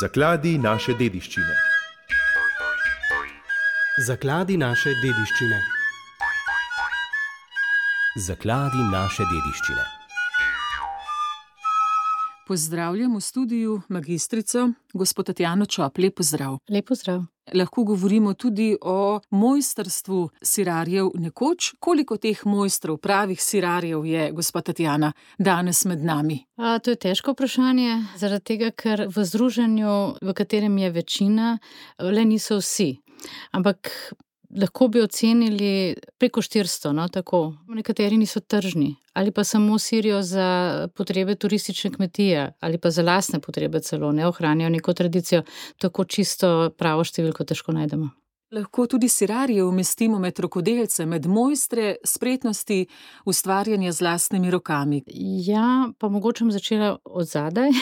Zakladi naše dediščine. Zakladi naše dediščine. Zakladi naše dediščine. Pozdravljam v studiu magistrico, gospod Tatjano Čop. Lep pozdrav. Lep pozdrav. Lahko govorimo tudi o mojstrstvu sirarjev nekoč. Koliko teh mojstrov, pravih sirarjev je, gospod Tatjana, danes med nami? To je težko vprašanje, zaradi tega, ker v združenju, v katerem je večina, le niso vsi. Ampak lahko bi ocenili preko 400, tako. Nekateri niso tržni, ali pa samo sirijo za potrebe turistične kmetije, ali pa za lastne potrebe celo, ne ohranjajo neko tradicijo, tako čisto pravo številko težko najdemo. Lahko tudi sirarje umestimo med rokodelce, med mojstre spretnosti ustvarjanja z lastnimi rokami. Ja, pa mogoče bom začela od zadaj.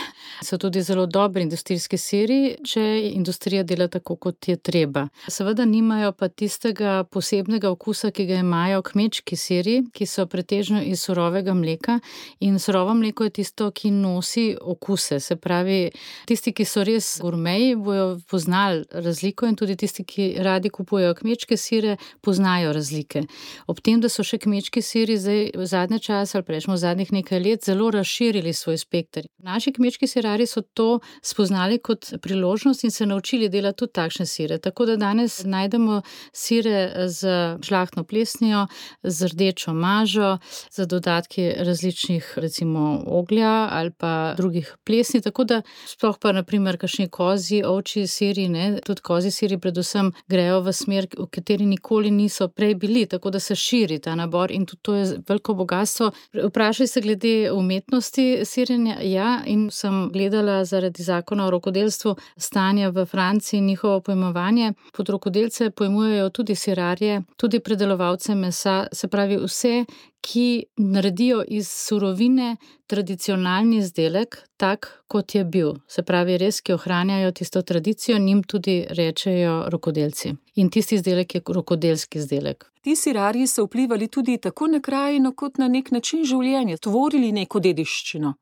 So tudi zelo dobri industrijski siri, če industrija dela tako, kot je treba. Seveda nimajo pa tistega posebnega okusa, ki ga imajo kmečki siri, ki so pretežno iz surovega mleka, in surovo mleko je tisto, ki nosi okuse. Se pravi, tisti, ki so res gurmeji, bojo poznali razliko, in tudi tisti, ki radi kupujejo kmečke sire, poznajo razlike. Ob tem, da so še kmečki siri zdaj v zadnje čase, ali prejšnjo v zadnjih nekaj let, zelo razširili svoj spekter. Naši kmečki sirari so to spoznali kot priložnost in se naučili delati tudi takšne sire. Tako da danes najdemo sire z žlahtno plesnijo, z rdečo mažo, z dodatki različnih, recimo oglja ali pa drugih plesni, tako da sploh pa naprimer kakšni kozji, ovčji siri, tudi kozji siri predvsem grejo v smer, v kateri nikoli niso prej bili, tako da se širi ta nabor in tudi to je veliko bogatstvo. Vprašali se glede umetnosti sirjenja, ja, in sem gledala zaradi zakona o rokodelstvu stanja v Franciji in njihovo pojmovanje. Pod rokodelce pojmujejo tudi sirarje, tudi predelovalce mesa, se pravi vse, ki naredijo iz surovine tradicionalni izdelek, tak, kot je bil. Se pravi, res, ki ohranjajo tisto tradicijo, njim tudi rečejo rokodelci. In tisti izdelek je rokodelski izdelek. Ti sirarji so vplivali tudi tako na krajino, kot na nek način življenja, tvorili neko dediščino.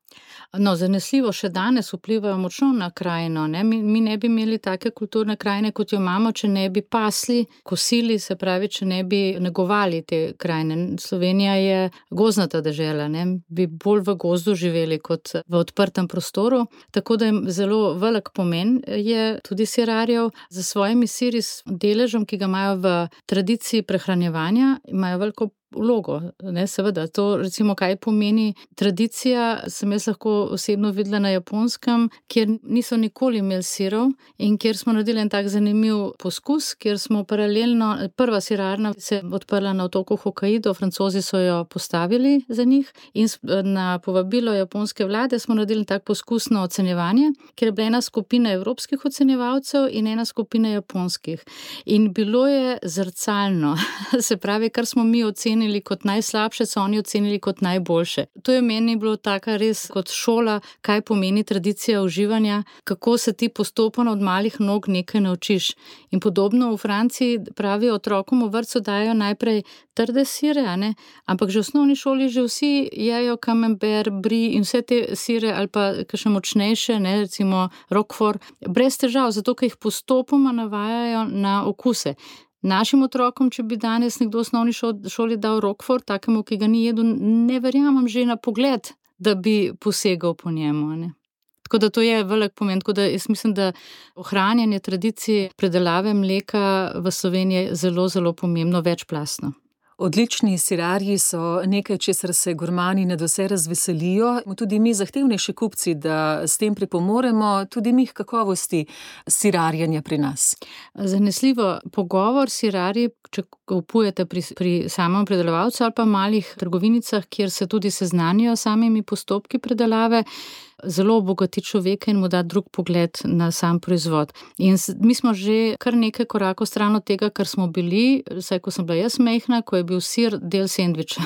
No, zanesljivo še danes vplivajo močno na krajino. Mi ne bi imeli take kulturne krajine, kot jo imamo, če ne bi pasli, kosili, se pravi, če ne bi negovali te krajine. Slovenija je gozdnata dežela, bi bolj v gozdu živeli kot v odprtem prostoru, tako da je zelo velik pomen je tudi sirarjev. Za svojimi siri s deležem, ki ga imajo v tradiciji prehranjevanja, imajo veliko vlogo, seveda. To recimo, kaj pomeni tradicija, sem jaz lahko osebno videla na Japonskem, kjer niso nikoli imeli sirov in kjer smo naredili en tak zanimiv poskus, kjer smo paralelno, prva sirarna se odprla na otoku Hokaido, Francozi so jo postavili za njih in na povabilo japonske vlade smo naredili tak poskusno ocenjevanje, kjer je bila ena skupina evropskih ocenjevalcev in ena skupina japonskih. In bilo je zrcalno, se pravi, kar smo mi ocenili kot najslabše, so oni ocenili kot najboljše. To je meni bilo taka res kot šola, kaj pomeni tradicija uživanja, kako se ti postopno od malih nog nekaj naučiš. In podobno v Franciji pravijo, otrokom v vrtcu dajo najprej trde sire, ampak že v osnovni šoli že vsi jejo camembert, brie in vse te sire ali pa kakšne močnejše, recimo roquefort, brez težav, zato ker jih postopoma navajajo na okuse. Našim otrokom, če bi danes nekdo v osnovni šoli dal roquefort, takemu, ki ga ni jedel, ne verjamem že na pogled, da bi posegal po njemu. Tako da to je velik pomen, tako da jaz mislim, da ohranjanje tradicije predelave mleka v Sloveniji je zelo, zelo pomembno, večplastno. Odlični sirarji so nekaj, česar se gurmani nadvse razveselijo. Tudi mi zahtevnejši kupci, da s tem pripomoremo, tudi mi kakovosti sirarjenja pri nas. Zanesljivo pogovor sirarji, če kupujete pri samem predelovalcu ali pa malih trgovinicah, kjer se tudi seznanijo samimi postopki predelave, zelo obogati človeka in mu da drug pogled na sam proizvod. In mi smo že kar nekaj korakov stran od tega, kar smo bili, vsaj ko sem bila jaz majhna, ko je bil sir del sendviča.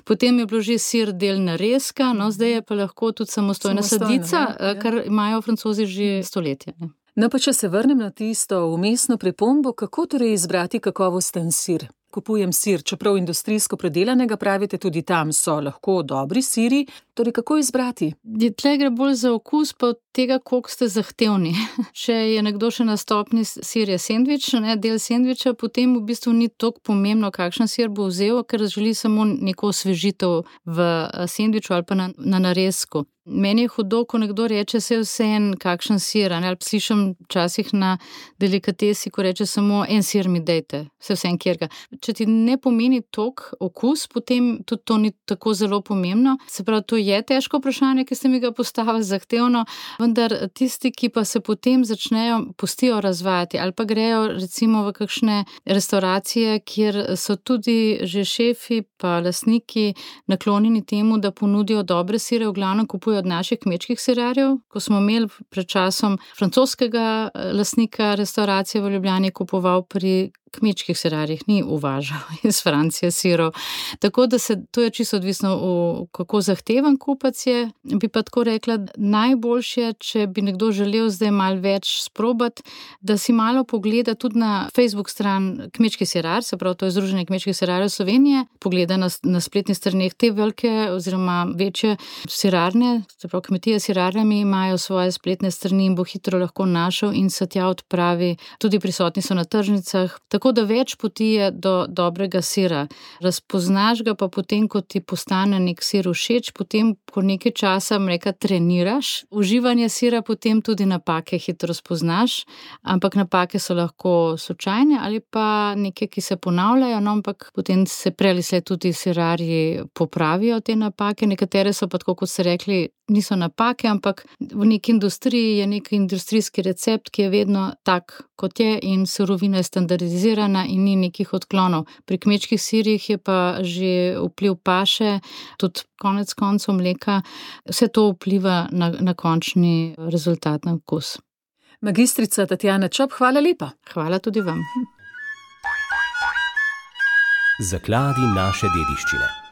Potem je bilo že sir del narezka, zdaj je pa lahko tudi samostojna sadica, kar imajo Francozi že stoletja. No, pa če se vrnem na tisto vmesno pripombo, kako torej izbrati kakovosten sir? kupujem sir, čeprav industrijsko predelanega, pravite, tudi tam so lahko dobri siri, torej kako izbrati? Tle gre bolj za okus, pa od tega, koliko ste zahtevni. Če je nekdo še na stopni sir je sendvič, del sendviča, potem v bistvu ni toliko pomembno, kakšen sir bo vzel, ker želi samo neko osvežitev v sendviču ali pa na narezku. Meni je hudo, ko nekdo reče, se je vseeno kakšen sir, ali slišim včasih na delikatesi, ko reče samo en sir mi dejte, se vseeno kjerga. Če ti ne pomeni toliko okus, potem tudi to ni tako zelo pomembno. Se pravi, to je težko vprašanje, ki ste mi ga postavili zahtevno, vendar tisti, ki pa se potem pustijo razvajati ali pa grejo recimo v kakšne restauracije, kjer so tudi že šefi pa lastniki naklonjeni temu, da ponudijo dobre sire, v glavnem kupujejo od naših kmečkih sirarjev. Ko smo imeli pred časom francoskega lastnika restauracije v Ljubljani, kupoval pri kmečkih sirarjih, ni uvažal iz Francije sirov. Tako da to je čisto odvisno, kako zahteven kupac je. Bi pa tako rekla, najboljše je, če bi nekdo želel zdaj malo več sprobati, da si malo pogleda tudi na Facebook stran Kmečki sirar, se pravi, to je Združenje kmečkih sirarjev Slovenije, pogleda na spletnih straneh te velike oziroma večje sirarne, se pravi, kmetije s sirarjami imajo svoje spletne strani in bo hitro lahko našel in se tja odpravi. Tudi prisotni so na tržnicah. Tako da več poti je do dobrega sira. Razpoznaš ga pa potem, ko ti postane nek sir všeč, potem, ko nekaj časa, treniraš uživanje sira, potem tudi napake hitro spoznaš, ampak napake so lahko slučajne ali pa neke, ki se ponavljajo, ampak potem se prej ali slej tudi sirarji popravijo te napake, nekatere so pa tako, kot ste rekli, niso napake, ampak v neki industriji je nek industrijski recept, ki je vedno tak, kot je, in surovina je standardizirana in ni nekih odklonov. Pri kmečkih sirih je pa že vpliv paše, tudi konec koncev mleka, vse to vpliva na končni rezultat, na okus. Magistrica Tatjana Čop, hvala lepa. Hvala tudi vam. Zakladi naše dediščine.